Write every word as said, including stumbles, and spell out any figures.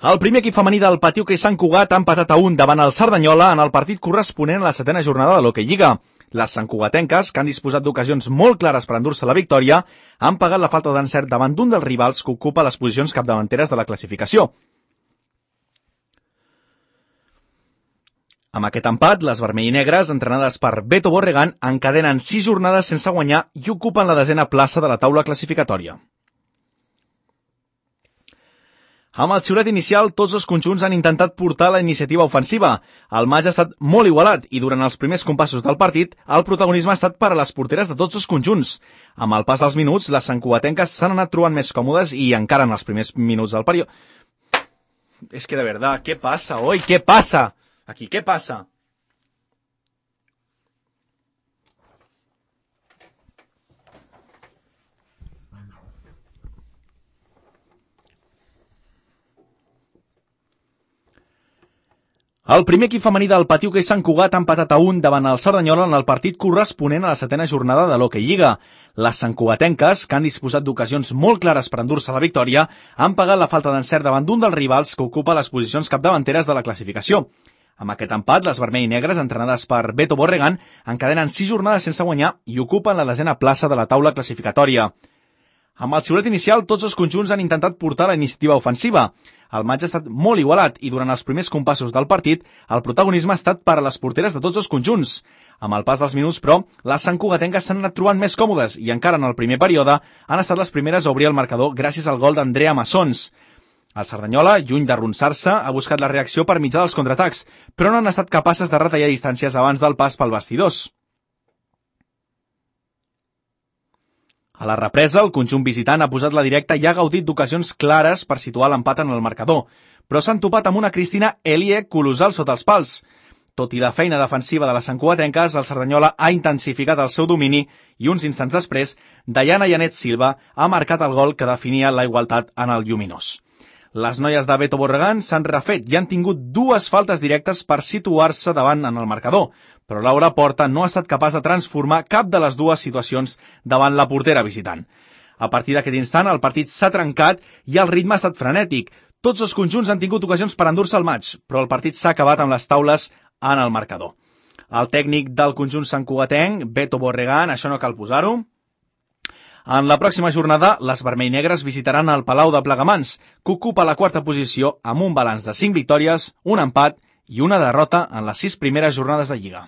El primer equip femení del Patí Hoquei Sant Cugat ha empatat a un davant el Cerdanyola en el partit corresponent a la setena jornada de l'Hoquei Lliga. Les santcugatenques, que han disposat d'ocasions molt clares per endur-se la victòria, han pagat la falta d'encert davant d'un dels rivals que ocupa les posicions capdavanteres de la classificació. Amb aquest empat, les vermell i negres, entrenades per Beto Borregan, encadenen sis jornades sense guanyar i ocupen la desena plaça de la taula classificatòria. Amb el xiulet inicial, tots els conjunts han intentat portar la iniciativa ofensiva. El maig ha estat molt igualat i durant els primers compassos del partit, el protagonisme ha estat per a les porteres de tots els conjunts. Amb el pas dels minuts, les santcugatenques s'han anat trobant més còmodes i encara en els primers minuts del període... És que de verdad, ¿qué pasa hoy? ¿Qué pasa? Aquí, ¿qué pasa? El primer equip femení del Patí Hoquei Sant Cugat ha empatat a un davant el Cerdanyola en el partit corresponent a la setena jornada de l'Hoquei Lliga. Les santcugatenques, que han disposat d'ocasions molt clares per endur-se la victòria, han pagat la falta d'encert davant d'un dels rivals que ocupa les posicions capdavanteres de la classificació. Amb aquest empat, les vermell i negres, entrenades per Beto Borregan, encadenen sis jornades sense guanyar i ocupen la desena plaça de la taula classificatòria. Amb el xiulet inicial, tots els conjunts han intentat portar la iniciativa ofensiva. El maig ha estat molt igualat i durant els primers compassos del partit, el protagonisme ha estat per a les porteres de tots els conjunts. Amb el pas dels minuts, però, les santcugatenques s'han anat trobant més còmodes i encara en el primer període han estat les primeres a obrir el marcador gràcies al gol d'Andrea Massons. El Cerdanyola, lluny d'arronsar-se, ha buscat la reacció per mitjà dels contraatacs, però no han estat capaces de retallar distàncies abans del pas pel vestidors. A la represa, el conjunt visitant ha posat la directa i ha gaudit d'ocasions clares per situar l'empat en el marcador, però s'han topat amb una Cristina Elie colossal sota els pals. Tot i la feina defensiva de les santcugatenques, el Cerdanyola ha intensificat el seu domini i uns instants després, Dayana Janet Silva ha marcat el gol que definia la igualtat en el lluminós. Les noies de Beto Borregan s'han refet i han tingut dues faltes directes per situar-se davant en el marcador, però Laura Porta no ha estat capaç de transformar cap de les dues situacions davant la portera visitant. A partir d'aquest instant, el partit s'ha trencat i el ritme ha estat frenètic. Tots els conjunts han tingut ocasions per endur-se el maig, però el partit s'ha acabat amb les taules en el marcador. El tècnic del conjunt santcugatenc, Beto Borregan, això no cal posar-ho. En la pròxima jornada, les vermell negres visitaran el Palau de Plegamans, que ocupa la quarta posició amb un balanç de cinc victòries, un empat i una derrota en les sis primeres jornades de Lliga.